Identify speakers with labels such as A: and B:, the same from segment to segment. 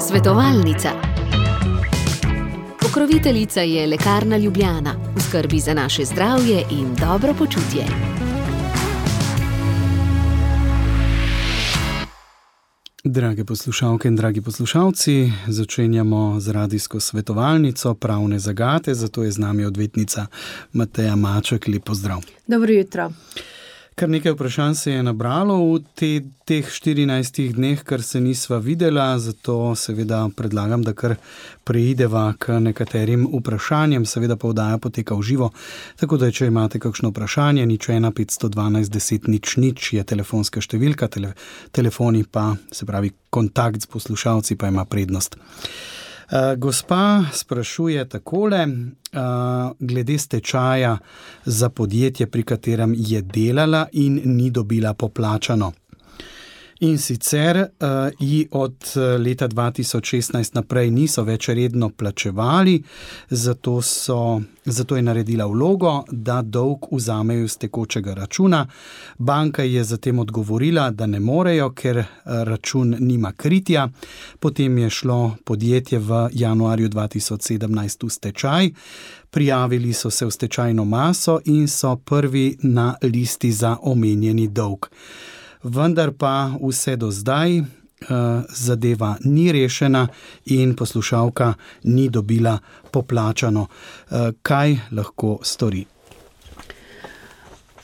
A: Svetovalnica. Pokroviteljica je Lekarna Ljubljana, v skrbi za naše zdravje in dobro počutje.
B: Drage poslušalke in dragi poslušalci, začenjamo z radijsko svetovalnico Pravne zagate, zato je z nami odvetnica Mateja Maček. Lep pozdrav.
C: Dobro jutro.
B: Kar nekaj vprašanj se je nabralo v teh 14 dneh, kar se nisva videla, zato seveda predlagam, da kar preideva k nekaterim vprašanjem. Seveda pa oddaja poteka v živo, tako da če imate kakšno vprašanje, 01 512 10 00 je telefonska številka, telefoni pa, se pravi kontakt s poslušalci pa ima prednost. Gospa sprašuje takole, glede stečaja za podjetje, pri katerem je delala in ni dobila poplačano. In sicer ji od leta 2016 naprej niso več redno plačevali, zato je naredila vlogo, da dolg vzamejo z tekočega računa. Banka je zatem odgovorila, da ne morejo, ker račun nima kritja. Potem je šlo podjetje v januarju 2017 v stečaj. Prijavili so se v stečajno maso in so prvi na listi za omenjeni dolg. Vendar pa vse do zdaj zadeva ni rešena in poslušalka ni dobila poplačano. Kaj lahko stori?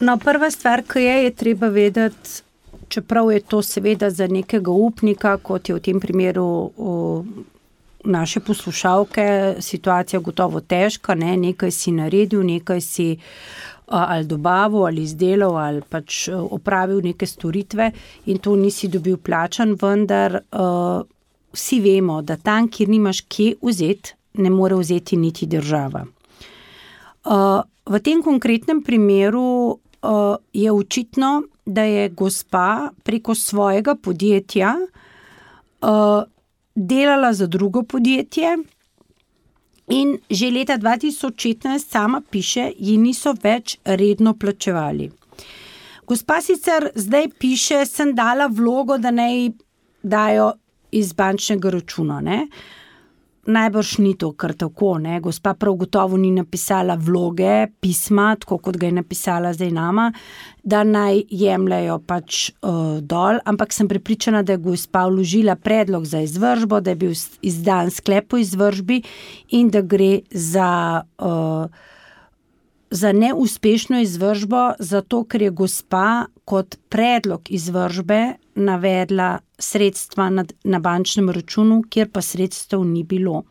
C: No, prva stvar, ki je treba vedeti, čeprav je to seveda za nekega upnika, kot je v tem primeru naše poslušalke, situacija gotovo težka, nekaj si naredil, nekaj si ali dobavil, ali izdelal, ali pač opravil neke storitve in to nisi dobil plačan, vendar vsi vemo, da tam, kjer nimaš kje vzeti, ne more vzeti niti država. V tem konkretnem primeru je očitno, da je gospa preko svojega podjetja delala za drugo podjetje in že leta 2016 sama piše, ji niso več redno plačevali. Gospa sicer zdaj piše, sem dala vlogo, da naj dajo iz bančnega računa, Najbrž ni to kar tako, Gospa prav gotovo ni napisala vloge, pisma, tako kot ga je napisala zdaj nama, da naj jemljajo pač dol, ampak sem prepričana, da je gospa vložila predlog za izvršbo, da je bil izdan sklep o izvršbi in da gre za neuspešno izvršbo, zato ker je gospa kot predlog izvršbe navedla sredstva na bančnem računu, kjer pa sredstev ni bilo.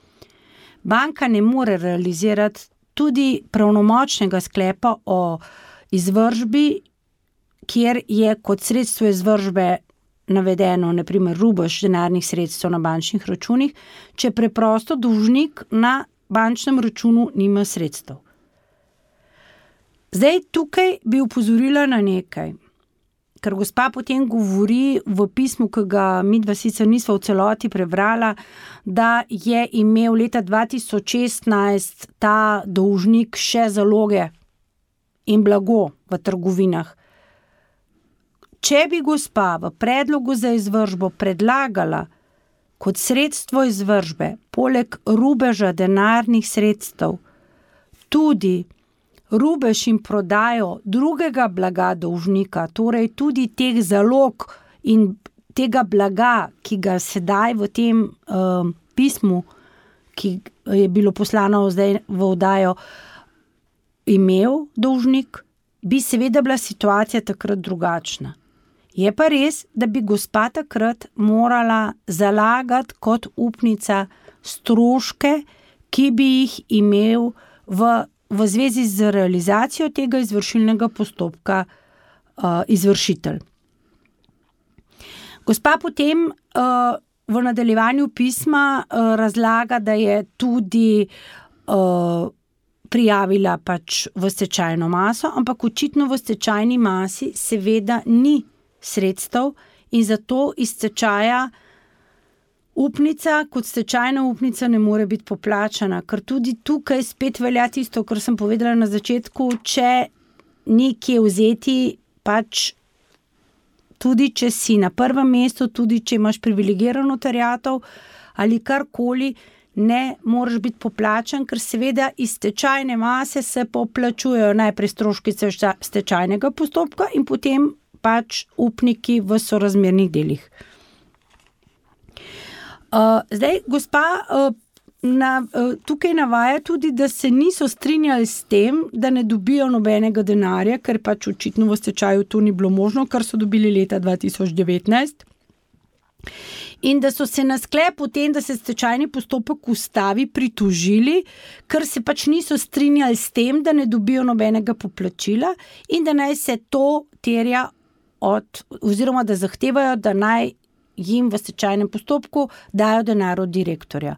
C: Banka ne more realizirati tudi pravnomočnega sklepa o izvršbi, kjer je kot sredstvo izvršbe navedeno, na primer, rubež denarnih sredstev na bančnih računih, če preprosto dolžnik na bančnem računu nima sredstev. Zdaj tukaj bi opozorila na nekaj, ker gospa potem govori v pismu, ki ga midva sicer nisva v celoti prebrala, da je imel leta 2016 ta dolžnik še zaloge in blago v trgovinah. Če bi gospa v predlogu za izvršbo predlagala kot sredstvo izvršbe, poleg rubeža denarnih sredstev, tudi rubež in prodajo drugega blaga dolžnika, torej tudi teh zalog in tega blaga, ki ga sedaj v tem pismu, ki je bilo poslano zdaj v oddajo, imel dolžnik, bi seveda bila situacija takrat drugačna. Je pa res, da bi gospa takrat morala zalagati kot upnica stroške, ki bi jih imel v zvezi z realizacijo tega izvršilnega postopka izvršitelj. Gospa potem v nadaljevanju pisma razlaga, da je tudi prijavila pač v stečajno maso, ampak očitno v stečajni masi seveda ni sredstev in zato iz stečaja upnica kot stečajna upnica ne more biti poplačana, ker tudi tukaj spet velja tisto, kar sem povedala na začetku, če ni kje vzeti, pač tudi če si na prvem mestu, tudi če imaš privilegirano terjatev ali karkoli, ne moraš biti poplačan, ker seveda iz stečajne mase se poplačujejo najprej stroški stečajnega postopka in potem pač upniki v sorazmernih delih. Zdaj, gospa tukaj navaja tudi, da se niso strinjali s tem, da ne dobijo nobenega denarja, ker pač očitno v stečaju to ni bilo možno, kar so dobili leta 2019. In da so se na sklep o tem, da se stečajni postopek ustavi, pritožili, ker se pač niso strinjali s tem, da ne dobijo nobenega poplačila in da naj se to terja oziroma da zahtevajo, da naj jim v stečajnem postopku dajo denar od direktorja.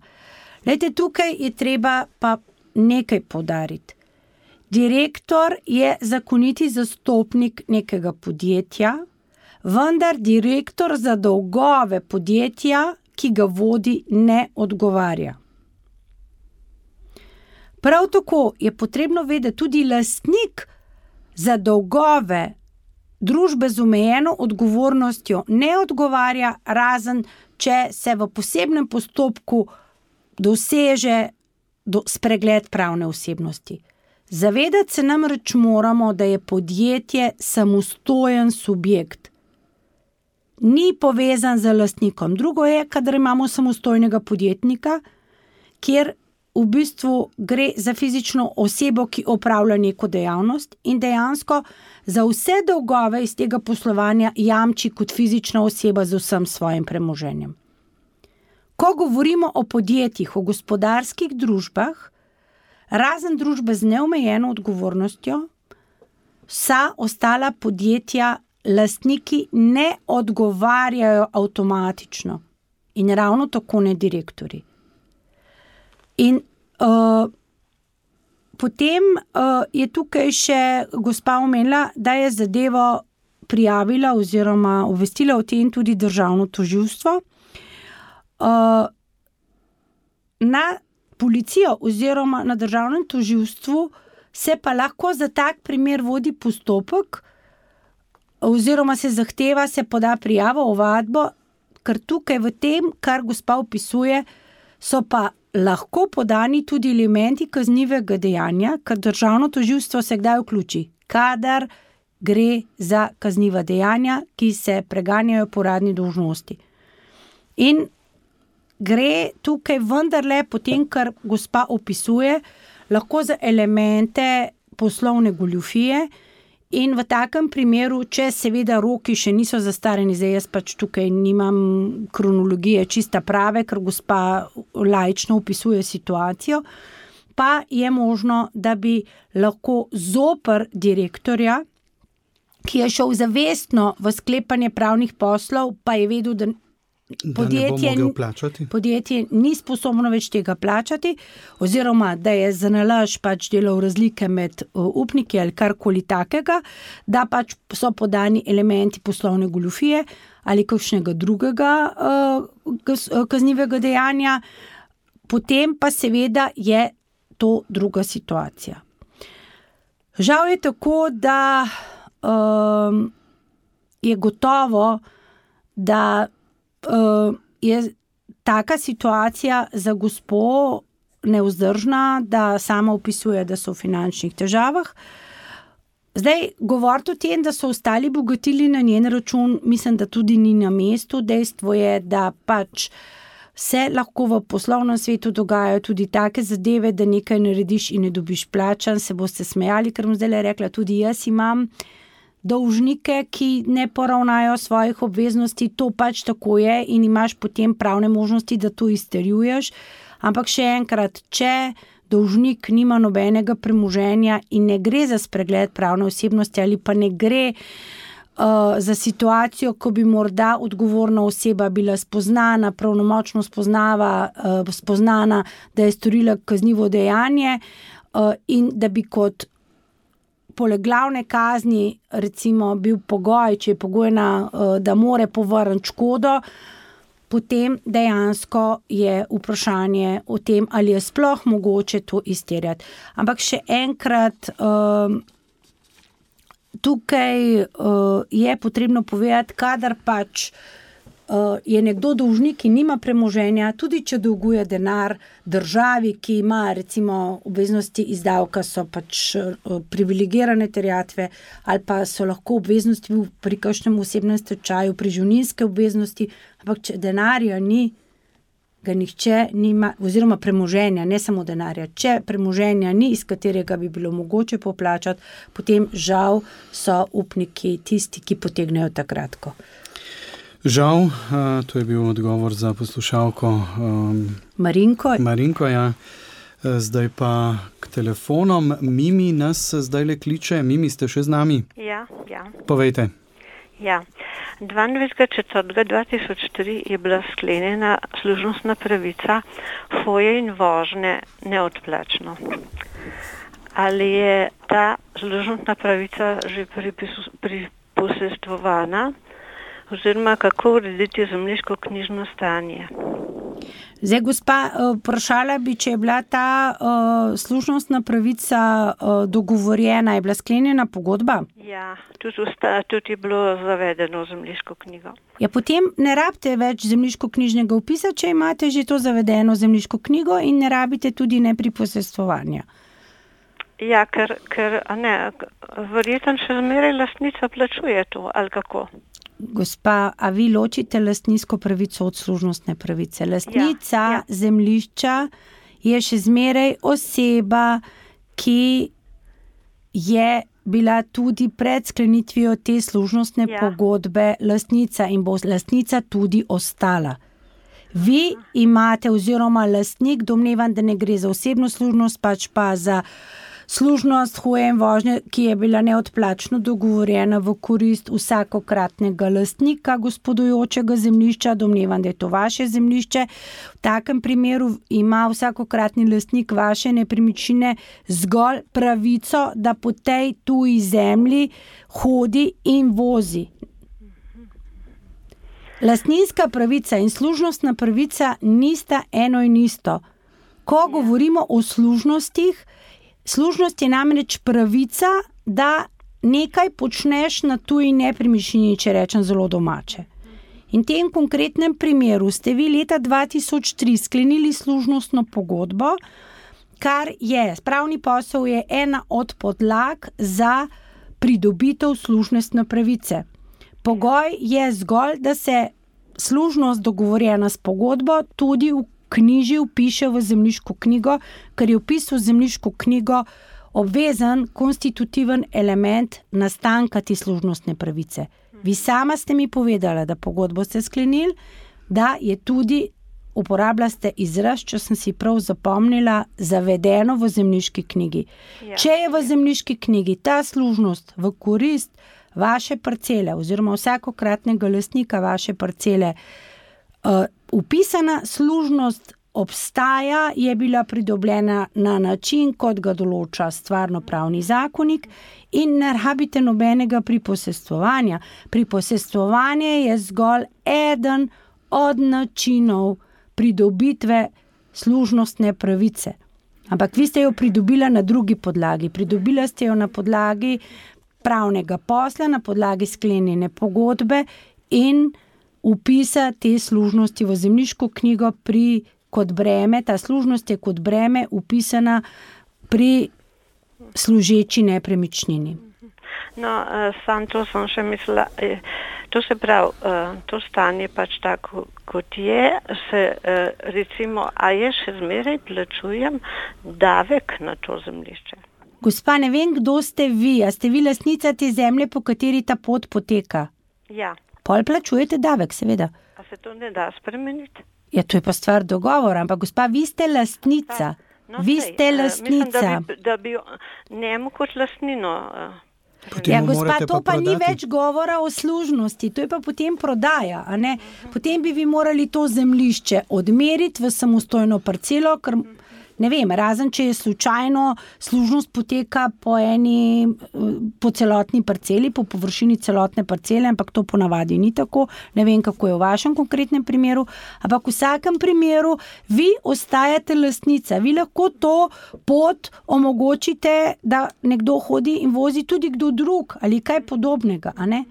C: Glejte, tukaj je treba pa nekaj poudariti. Direktor je zakoniti zastopnik nekega podjetja, vendar direktor za dolgove podjetja, ki ga vodi, ne odgovarja. Prav tako je potrebno vedeti, tudi lastnik za dolgove družbe z omejeno odgovornostjo ne odgovarja, razen če se v posebnem postopku doseže spregled pravne osebnosti. Zavedati se namreč moramo, da je podjetje samostojen subjekt. Ni povezan z lastnikom. Drugo je, kadar imamo samostojnega podjetnika, kjer v bistvu gre za fizično osebo, ki opravlja neko dejavnost in dejansko za vse dolgove iz tega poslovanja jamči kot fizična oseba z vsem svojim premoženjem. Ko govorimo o podjetjih, o gospodarskih družbah, razen družbe z neomejeno odgovornostjo, vsa ostala podjetja lastniki ne odgovarjajo avtomatično in ravno tako ne direktorji. In potem je tukaj še gospa omenila, da je zadevo prijavila oziroma obvestila o tem tudi državno tožilstvo. Na policijo oziroma na državnem tožilstvu se pa lahko za tak primer vodi postopek oziroma se poda prijavo, ovadbo, ker tukaj v tem, kar gospa opisuje, so pa lahko podani tudi elementi kaznivega dejanja, ker državno tožilstvo se kdaj vključi, kadar gre za kazniva dejanja, ki se preganjajo po uradni dolžnosti. In gre tukaj vendarle potem, kar gospa opisuje, lahko za elemente poslovne goljufije in v takem primeru, če seveda roki še niso zastarani, zdaj jaz pač tukaj nimam kronologije čista prave, ker gospa laično opisuje situacijo, pa je možno, da bi lahko zoper direktorja, ki je šel zavestno v sklepanje pravnih poslov, pa je vedel, da podjetje ni sposobno več tega plačati, oziroma da je za nalaž pač delal razlike med upniki ali karkoli takega, da pač so podani elementi poslovne goljufije ali kakšnega drugega kaznivega dejanja, potem pa seveda je to druga situacija. Žal je tako, da je gotovo, da je taka situacija za gospo nevzdržna, da sama opisuje, da so v finančnih težavah. Zdaj, govoriti o tem, da so ostali bogatili na njen račun, mislim, da tudi ni na mestu. Dejstvo je, da pač se lahko v poslovnem svetu dogajajo tudi take zadeve, da nekaj narediš in ne dobiš plačan, se boste smejali, ker bom zdaj rekla, tudi jaz imam dolžnike, ki ne poravnajo svojih obveznosti, to pač tako je in imaš potem pravne možnosti, da to izterjuješ. Ampak še enkrat, če dolžnik nima nobenega premoženja in ne gre za spregled pravne osebnosti ali pa ne gre za situacijo, ko bi morda odgovorna oseba bila spoznana, pravnomočno spoznana, da je storila kaznivo dejanje in da bi kot poleg glavne kazni recimo bil pogoj, če je pogojna, da more povrniti škodo, potem dejansko je vprašanje o tem, ali je sploh mogoče to izterjati. Ampak še enkrat, tukaj je potrebno povedati, kadar pač je nekdo dolžnik in nima premoženja, tudi če dolguje denar državi, ki ima recimo obveznosti iz davka, so pač privilegirane terjatve ali pa so lahko obveznosti pri kakšnem osebnem stečaju, pri živninske obveznosti, ampak če denarja ni, ga nihče nima, oziroma premoženja, ne samo denarja. Če premoženja ni, iz katerega bi bilo mogoče poplačati, potem žal so upniki tisti, ki potegnejo ta kratko.
B: Žal, to je bil odgovor za poslušalko
C: Marinko,
B: ja. Zdaj pa k telefonom. Mimi nas zdaj le kliče. Mimi, ste še z nami?
D: Ja.
B: Povejte.
D: Ja. 22.4.2003 je bila sklenjena služnostna pravica hoje in vožnje neodplačno. Ali je ta služnostna pravica že priposestvovana, oziroma kako urediti zemljiško-knjižno stanje?
C: Zdaj, gospa, vprašala bi, če je bila ta služnostna pravica dogovorjena, je bila sklenjena pogodba?
D: Ja, tudi je bilo zavedeno v zemljiško knjigo.
C: Ja, potem ne rabite več zemljiško-knjižnega vpisa, če imate že to zavedeno zemljiško knjigo in ne rabite tudi nepriposestvovanja.
D: Ja, ker verjetno še zmeraj lastnica plačuje to, ali kako?
C: Gospa, a vi ločite lastninsko pravico od služnostne pravice? Lastnica zemljišča je še zmeraj oseba, ki je bila tudi pred sklenitvijo te služnostne pogodbe lastnica in bo lastnica tudi ostala. Vi imate, oziroma lastnik, domnevam, da ne gre za osebno služnost, pač pa za služnost hoje in vožnje, ki je bila neodplačno dogovorjena v korist vsakokratnega lastnika gospodujočega zemljišča, domnevam, da je to vaše zemljišče. V takem primeru ima vsakokratni lastnik vaše nepremičnine zgolj pravico, da po tej tuji zemlji hodi in vozi. Lastninska pravica in služnostna pravica nista eno in isto. Ko govorimo o služnostih, služnost je namreč pravica, da nekaj počneš na tuji nepremičnini, če rečem zelo domače. In v tem konkretnem primeru ste vi leta 2003 sklenili služnostno pogodbo, kar je, pravni posel je ena od podlag za pridobitev služnostne pravice. Pogoj je zgolj, da se služnost dogovorjena s pogodbo tudi vpiše v zemljiško knjigo, ker je vpis v zemljiško knjigo obvezen, konstitutiven element nastanka te služnostne pravice. Vi sama ste mi povedala, da pogodbo ste sklenili, da je tudi, uporabila ste izraz, če sem si prav zapomnila, zavedeno v zemljiški knjigi. Če je v zemljiški knjigi ta služnost v korist vaše parcele oziroma vsakokratnega lastnika vaše parcele upisana, služnost obstaja, je bila pridobljena na način, kot ga določa stvarnopravni zakonik in ne rabite nobenega priposestvovanja. Priposestvovanje je zgolj eden od načinov pridobitve služnostne pravice. Ampak vi ste jo pridobila na drugi podlagi. Pridobila ste jo na podlagi pravnega posla, na podlagi sklenjene pogodbe in vpisa te služnosti v zemljiško knjigo kot breme. Ta služnost je kot breme upisana pri služeči nepremičnini.
D: No, sam to sem še mislila, to se pravi, to stanje pač tako, kot je, se recimo, a je še zmeraj plačujem davek na to zemljišče?
C: Gospa, ne vem, kdo ste vi, a ste vi lastnica te zemlje, po kateri ta pot poteka?
D: Ja.
C: Pol plačujete davek, seveda.
D: A se to ne da spremeniti?
C: Ja, to je pa stvar dogovora, ampak gospa, vi ste lastnica. Vi ste lastnica.
D: Mislim, da bi njemu kot lastnino.
C: Ja, gospa, to pa ni več govora o služnosti, to je pa potem prodaja, a ne? Potem bi vi morali to zemljišče odmeriti v samostojno parcelo, ker ne vem, razen če je slučajno služnost poteka po celotni parceli, po površini celotne parcele, ampak to ponavadi ni tako. Ne vem, kako je v vašem konkretnem primeru, ampak v vsakem primeru vi ostajate lastnica. Vi lahko to pot omogočite, da nekdo hodi in vozi tudi kdo drug ali kaj podobnega, a ne?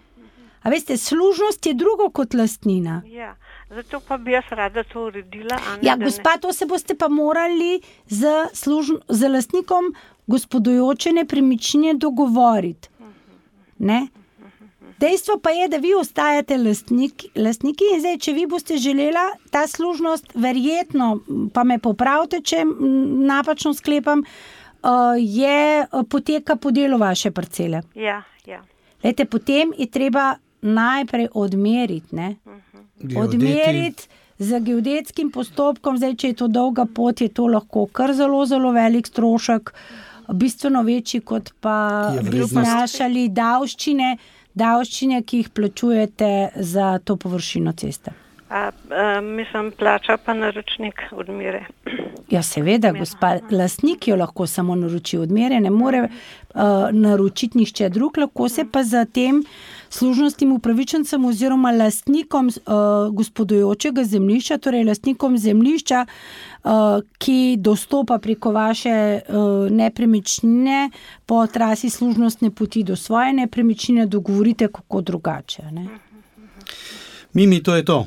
C: A veste, služnost je drugo kot lastnina.
D: Ja. Zato pa bi jaz rada to uredila.
C: Ja, gospa, to se boste pa morali z lastnikom gospodujoče nepremičnine dogovoriti. Ne? Dejstvo pa je, da vi ostajate lastniki in zdaj, če vi boste želela, ta služnost verjetno, pa me popravite, če napačno sklepam, poteka po delu vaše parcele.
D: Ja.
C: Lejte, potem je treba najprej odmeriti, ne? Odmeriti z geodetskim postopkom, zdaj, če je to dolga pot, je to lahko kar zelo, zelo velik strošek, bistveno večji, kot pa bi znašali davščine, ki jih plačujete za to površino ceste.
D: Mislim, plača pa naročnik odmere.
C: Ja, seveda, gospa, lastnik jo lahko samo naroči odmere, ne more naročiti nihče drug, lahko se pa za tem služnostnim upravičencem oziroma lastnikom gospodujočega zemljišča, torej lastnikom zemljišča, ki dostopa preko vaše nepremičnine po trasi služnostne poti do svoje nepremičnine, dogovorite kako drugače. Ne?
B: Mimi, to je to.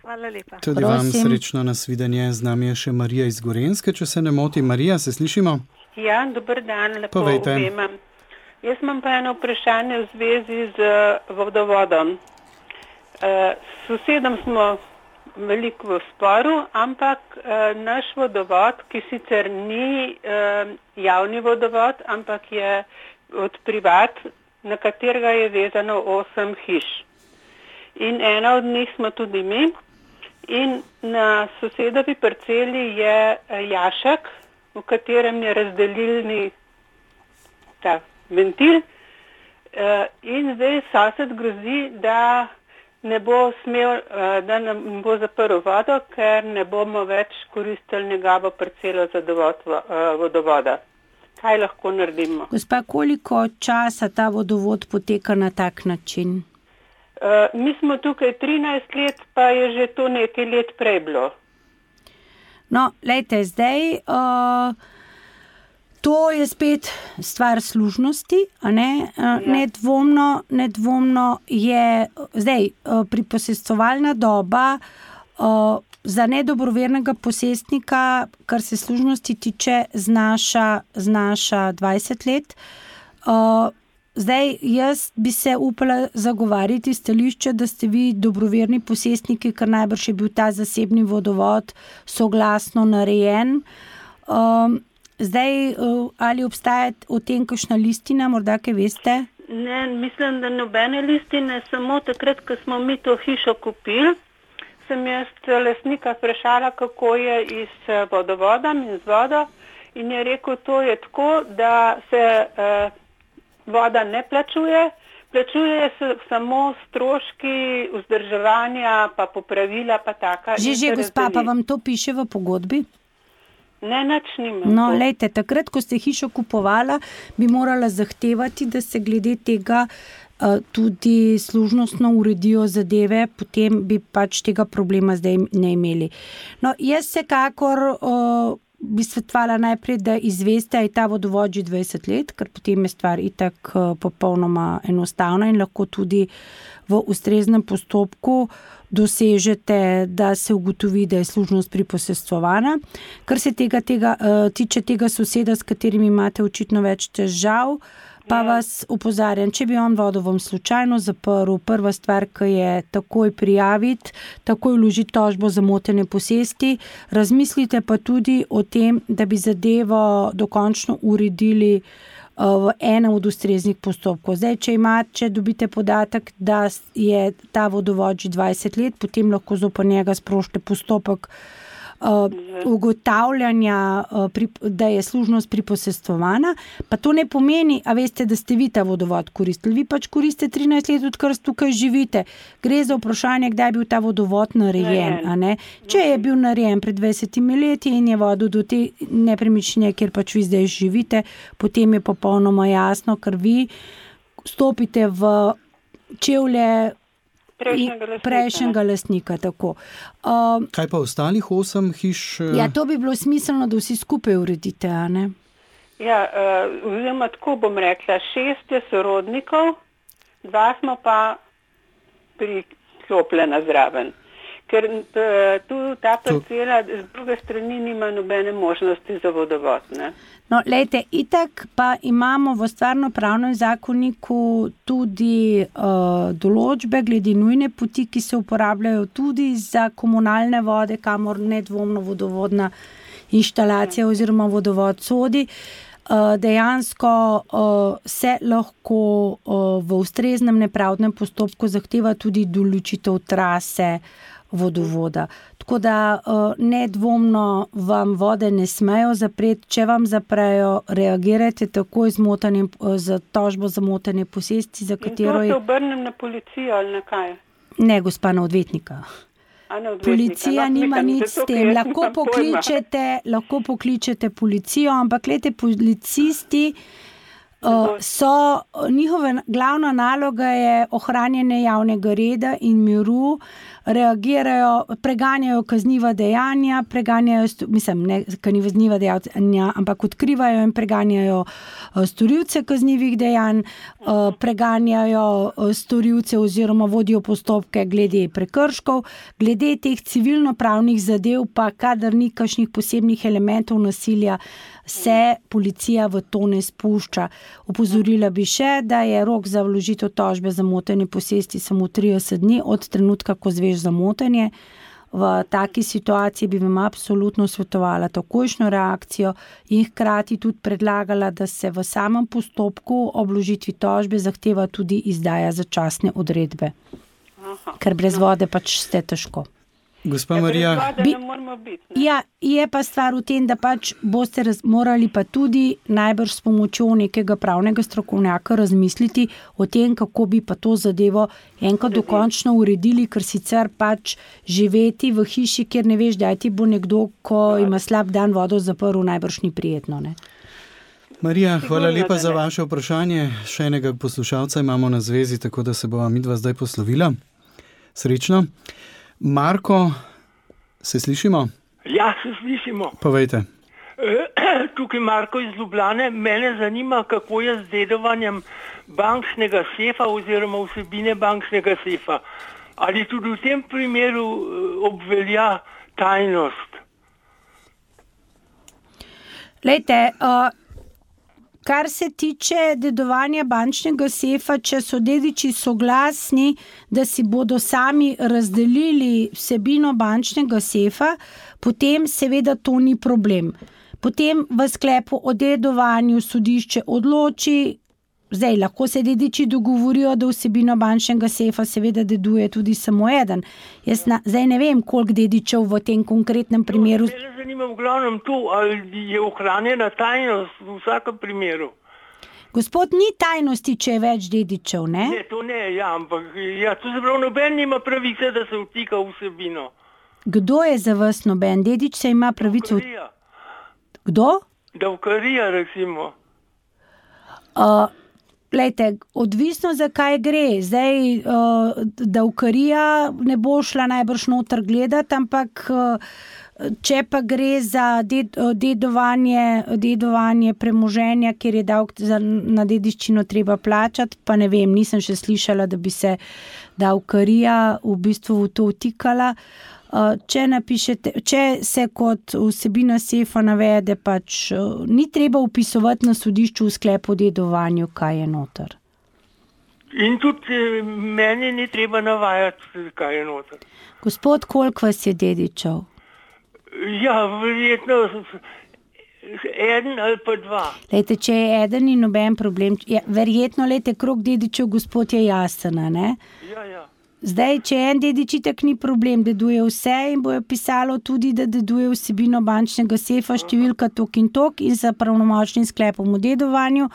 D: Hvala lepa.
B: Tudi vam srečno nasvidenje. Z nami je še Marija iz Gorenjske, če se ne moti. Marija, se slišimo?
E: Ja, dober dan, lepo
B: Povejte.
E: Obema. Jaz imam pa eno vprašanje v zvezi z vodovodom. S sosedom smo veliko v sporu, ampak naš vodovod, ki sicer ni javni vodovod, ampak je od privat, na katerega je vezano 8 hiš. In ena od njih smo tudi mi. In na sosedovi parceli je jašek, v katerem je razdelilni ta ventil. In zdaj sosed grozi, da ne bo smel, da nam bo zaprl vodo, ker ne bomo več koristili njegovo parcelo za dovod vodovoda. Kaj lahko naredimo?
C: Gospa, koliko časa ta vodovod poteka na tak način?
E: Mi smo tukaj 13 let, pa je že to nekaj let prej bilo.
C: No, lejte, zdaj, to je spet stvar služnosti, a ne? Nedvomno je, zdaj, priposestovalna doba za nedobrovernega posestnika, kar se služnosti tiče, znaša 20 let. Zdaj, jaz bi se upala zagovarjati stališče, da ste vi dobroverni posestniki, ker najbrž je bil ta zasebni vodovod soglasno narejen. Zdaj, ali obstaja o tem kakšna listina, morda kaj veste?
E: Ne, mislim, da nobene listine, samo takrat, ko smo mi to hišo kupili, sem jaz lastnika vprašala, kako je iz vodovodom in z vodo, in je rekel, to je tako, da se voda ne plačuje se samo stroški vzdrževanja, pa popravila, pa taka.
C: Že, gospa, pa vam to piše v pogodbi?
E: Ne, nič nimam.
C: No, lejte, takrat, ko ste hišo kupovala, bi morala zahtevati, da se glede tega tudi služnostno uredijo zadeve, potem bi pač tega problema zdaj ne imeli. No, jaz vsekakor bi svetovala najprej, da izveste, je ta vodovod že 20 let, ker potem je stvar itak popolnoma enostavna in lahko tudi v ustreznem postopku dosežete, da se ugotovi, da je služnost priposestvovana. Kar se tiče tega soseda, s katerim imate očitno več težav, pa vas opozarjam, če bi on vodo vam slučajno zaprl, prva stvar, ki je takoj prijaviti, takoj vložiti tožbo za motenje posesti, razmislite pa tudi o tem, da bi zadevo dokončno uredili v enem od ustreznih postopkov. Zdaj, če dobite podatek, da je ta vodovod že 20 let, potem lahko zoper njega sprožite postopek ugotavljanja, da je služnost priposestvovana, pa to ne pomeni, a veste, da ste vi ta vodovod koristili. Vi pač koristite 13 let, odkar tukaj živite. Gre za vprašanje, kdaj je bil ta vodovod narejen. A ne? Če je bil narejen pred 20 leti in je vodil do te nepremičnine, kjer pač vi zdaj živite, potem je popolnoma jasno, ker vi stopite v čevlje prejšnjega lastnika. Tako.
B: Kaj pa ostalih 8 hiš?
C: Ja, to bi bilo smiselno, da vsi skupaj uredite, a ne?
E: Ja, oziroma tako bom rekla, 6 je sorodnikov, 2 smo pa priklopljena zraven. Ker tu ta parcela z druge strani nima nobene možnosti za vodovod, ne?
C: No, lejte, itak pa imamo v stvarno-pravnem zakoniku tudi določbe glede nujne poti, ki se uporabljajo tudi za komunalne vode, kamor nedvomno vodovodna inštalacija oziroma vodovod sodi. Dejansko se lahko v ustreznem nepravdnem postopku zahteva tudi določitev trase vodovoda. Tako da nedvomno vam vode ne smejo zapreti. Če vam zaprejo, reagirajte takoj z tožbo za motenje posesti, za katero
E: in to se obrnem na policijo ali na kaj?
C: Ne, gospa, na odvetnika. Policija nima nič s tem. Lahko pokličete policijo, ampak glejte, policisti njihova glavna naloga je ohranjanje javnega reda in miru, reagirajo, preganjajo kazniva dejanja, ampak odkrivajo in preganjajo storilce kaznivih dejanj, preganjajo storilce oziroma vodijo postopke glede prekrškov, glede teh civilno-pravnih zadev pa, kadar ni kakšnih posebnih elementov nasilja, se policija v to ne spušča. Opozorila bi še, da je rok za vložitev tožbe za motenje posesti samo 30 dni od trenutka, ko zveš za motenje. V taki situaciji bi vam absolutno svetovala takojšnjo reakcijo in hkrati tudi predlagala, da se v samem postopku ob vložitvi tožbe zahteva tudi izdaja začasne odredbe. Ker brez vode pač ste težko.
B: Gospa Marija,
C: je pa stvar v tem, da pač boste morali pa tudi najbrž s pomočjo nekega pravnega strokovnjaka razmisliti o tem, kako bi pa to zadevo enkrat dokončno uredili, ker sicer pač živeti v hiši, kjer ne veš, da ti bo nekdo, ko ima slab dan vodo zaprl, najbrž ni prijetno, ne?
B: Marija, hvala lepa za vaše vprašanje. Še enega poslušalca imamo na zvezi, tako da se bova midva zdaj poslovila. Srečno. Marko, se slišimo?
F: Ja, se slišimo.
B: Povejte.
F: Tukaj Marko iz Ljubljane. Mene zanima, kako je z dedovanjem bančnega sefa oziroma vsebine bančnega sefa. Ali tudi v tem primeru obvelja tajnost?
C: Lejte, kar se tiče dedovanja bančnega sefa, če so dediči soglasni, da si bodo sami razdelili vsebino bančnega sefa, potem seveda to ni problem. Potem v sklepu o dedovanju sodišče odloči, zdaj lahko se dediči dogovorijo, da vsebino bančnega sefa seveda deduje tudi samo eden. Zdaj ne vem, koliko dedičev v tem konkretnem primeru.
F: Mene zanima v glavnem to, ali je ohranjena tajnost v vsakem primeru.
C: Gospod, ni tajnosti, če je več dedičev, ne?
F: Ne, to ne, ja, ampak to se pravi, noben nima pravice, da se vtika vsebino.
C: Kdo je za vas noben? Dedič se ima pravico...
F: Davkarija.
C: Kdo?
F: Davkarija, recimo.
C: Glejte, odvisno za kaj gre. Zdaj, davkarija ne bo šla najbrž noter gledati, ampak če pa gre za dedovanje premoženja, kjer je davek na dediščino treba plačati, pa ne vem, nisem še slišala, da bi se davkarija v bistvu v to vtikala. Če se kot vsebina sefa navede, pač ni treba vpisovati na sodišču v sklepu o dedovanju, kaj je noter.
F: In tudi meni ni treba navajati, kaj je noter.
C: Gospod, koliko vas je dedičev?
F: Ja, verjetno eden ali pa 2.
C: Lejte, če je eden, ni noben problem. Verjetno, lejte, krog dedičev, gospod, je jasen, ne?
F: Ja.
C: Zdaj, če en dedičitek ni problem, deduje vse in bojo pisalo tudi, da deduje vsebino bančnega sefa, številka tok in za pravnomočnim sklepom o dedovanju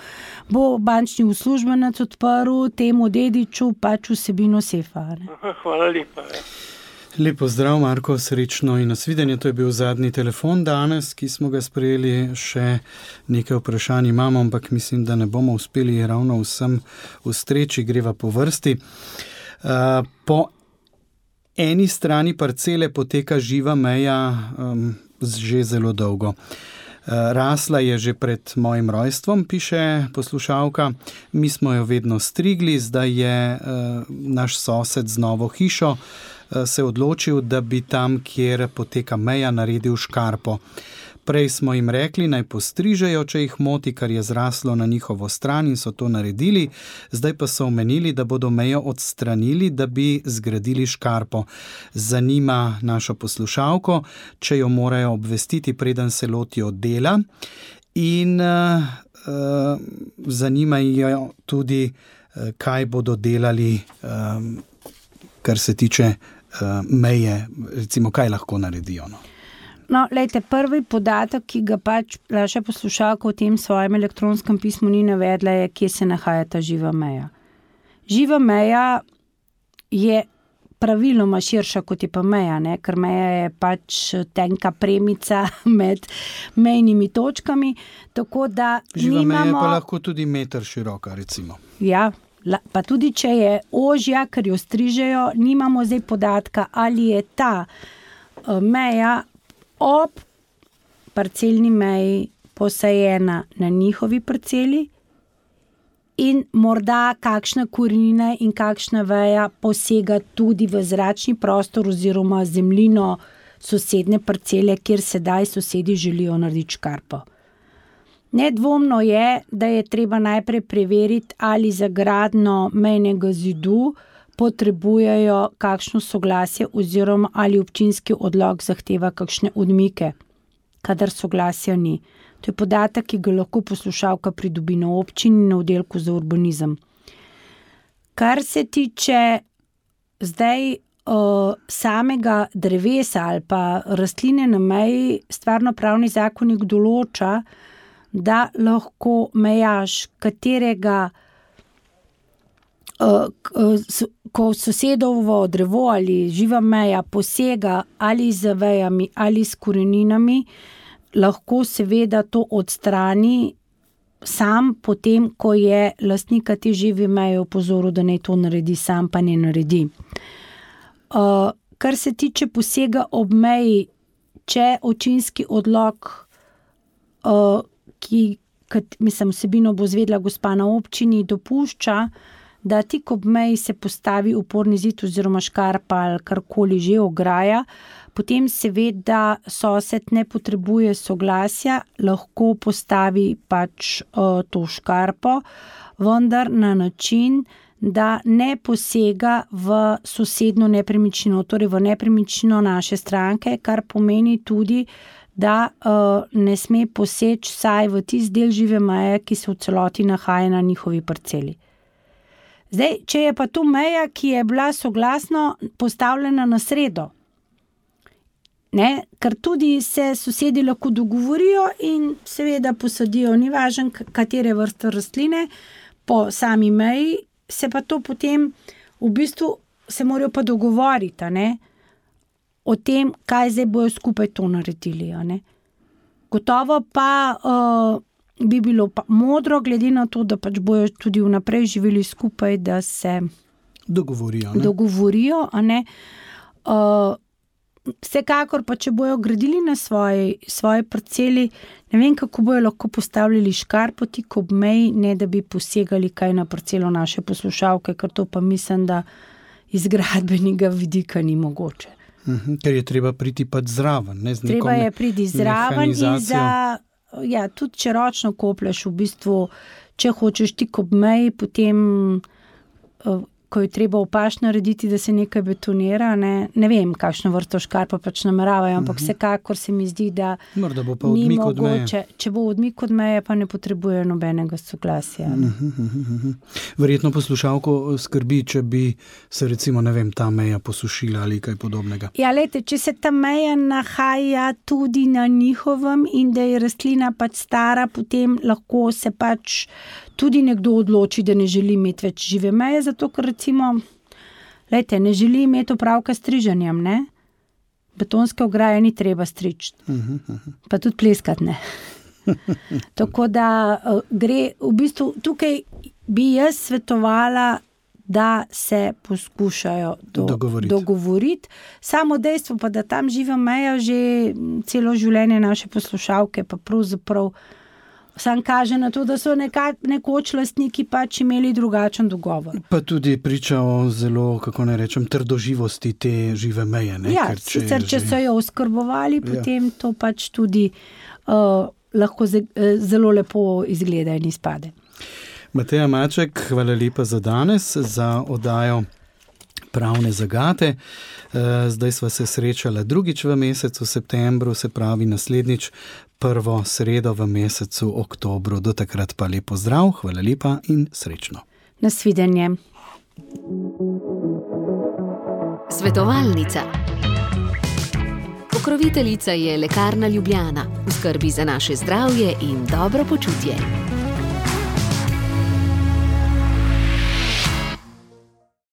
C: bo bančni uslužbenec odprl temu dediču pač vsebino sefa. Ne?
F: Hvala lepa.
B: Lepo zdrav, Marko, srečno in nasvidenje. To je bil zadnji telefon danes, ki smo ga sprejeli. Še nekaj vprašanj imamo, ampak mislim, da ne bomo uspeli ravno vsem ustreči, greva po vrsti. Po eni strani parcele poteka živa meja že zelo dolgo. Rasla je že pred mojim rojstvom, piše poslušalka. Mi smo jo vedno strigli, zdaj je naš sosed z novo hišo se odločil, da bi tam, kjer poteka meja, naredil škarpo. Prej smo jim rekli, naj postrižejo, če jih moti, kar je zraslo na njihovo stran in so to naredili. Zdaj pa so omenili, da bodo mejo odstranili, da bi zgradili škarpo. Zanima našo poslušalko, če jo morajo obvestiti, preden se lotijo dela. In zanimajo tudi, kaj bodo delali, kar se tiče meje, recimo, kaj lahko naredijo.
C: No, lejte, prvi podatek, ki ga pač naša poslušalka v tem svojem elektronskem pismu ni navedla, je, kje se nahaja ta živa meja. Živa meja je praviloma širša, kot je pa meja, ne? Ker meja je pač tenka premica med mejnimi točkami, tako da
B: živa
C: nimamo...
B: meja je pa lahko tudi meter široka, recimo.
C: Ja, pa tudi če je ožja, ker jo strižejo, nimamo zdaj podatka, ali je ta meja ob parcelni meji posajena na njihovi parceli in morda kakšna korenina in kakšna veja posega tudi v zračni prostor oziroma zemljino sosedne parcele, kjer sedaj sosedi želijo narediti škarpo. Nedvomno je, da je treba najprej preveriti, ali za gradnjo mejnega zidu potrebujejo kakšno soglasje oziroma ali občinski odlok zahteva kakšne odmike, kadar soglasja ni. To je podatek, ki ga lahko poslušalka pridobi na občini na oddelku za urbanizem. Kar se tiče zdaj samega drevesa ali pa rastline na meji, stvarnopravni zakonik določa, da lahko mejaš katerega ko sosedovo drevo ali živa meja posega ali z vejami ali s koreninami, lahko seveda to odstrani sam potem, ko je lastnika te žive meje opozoril, da naj to naredi sam, pa ne naredi. Kar se tiče posega ob meji, če občinski odlok, ki vsebino bo izvedla gospa na občini, dopušča, da tik ob meji se postavi oporni zid oziroma škarpa ali karkoli že, ograja, potem seveda sosed ne potrebuje soglasja, lahko postavi pač to škarpo, vendar na način, da ne posega v sosednjo nepremičnino, torej v nepremičnino naše stranke, kar pomeni tudi, da ne sme poseči vsaj v tisti del žive meje, ki se v celoti nahaja na njihovi parceli. Zdaj, če je pa tu meja, ki je bila soglasno postavljena na sredo, ne, ker tudi se sosedi lahko dogovorijo in seveda posadijo, ni važno, katere vrste rastline, po sami meji, se pa to potem v bistvu se morajo pa dogovoriti, ne, o tem, kaj zdaj bojo skupaj to naredili. Ne. Gotovo pa bi bilo pa modro, glede na to, da pač bojo tudi vnaprej živeli skupaj, da se dogovorijo. Ne. Vsekakor pa, če bojo gradili na svoji parceli, ne vem, kako bojo lahko postavljali škarpo tik ob meji, ne da bi posegali kaj na parcelo naše poslušalke, ker to pa mislim, da iz gradbenega vidika ni mogoče.
B: Ker je treba priti pač zraven. Ne,
C: treba je priti zraven in tudi če ročno koplješ, v bistvu, če hočeš tik ob meji, potem ko je treba v paš narediti, da se nekaj betonira, ne vem, kakšno vrsto škarpa pač nameravajo, ampak vsekakor se mi zdi, da
B: morda bo pa odmik od meje.
C: Če bo odmik od meje, pa ne potrebuje nobenega soglasja.
B: Verjetno poslušalko skrbi, če bi se recimo, ne vem, ta meja posušila ali kaj podobnega.
C: Ja, lejte, če se ta meja nahaja tudi na njihovem in da je rastlina pač stara, potem lahko se pač tudi nekdo odloči, da ne želi imeti več žive meje, zato ker recimo, lejte, ne želi imeti opravka s striženjem, ne? Betonske ograje ni treba striči, pa tudi pleskati ne. Tako da gre, v bistvu tukaj bi jaz svetovala, da se poskušajo dogovoriti. Samo dejstvo pa, da tam živa meja že celo življenje naše poslušalke, pa pravzaprav sam kaže na to, da so nekoč lastniki pač imeli drugačen dogovor.
B: Pa tudi priča o zelo, kako naj rečem, trdoživosti te žive meje. Ne?
C: Ja, sicer, če so jo oskrbovali, potem to pač tudi lahko zelo lepo izgleda in izpade.
B: Mateja Maček, hvala lepa za danes, za oddajo Pravne zagate. Zdaj sva se srečala drugič v mesecu septembru, se pravi naslednjič prvo sredo v mesecu oktobru. Do takrat pa lepo zdrav, hvala lepa in srečno.
C: Nasvidenje.
A: Svetovalnica. Pokroviteljica je Lekarna Ljubljana. V skrbi za naše zdravje in dobro počutje.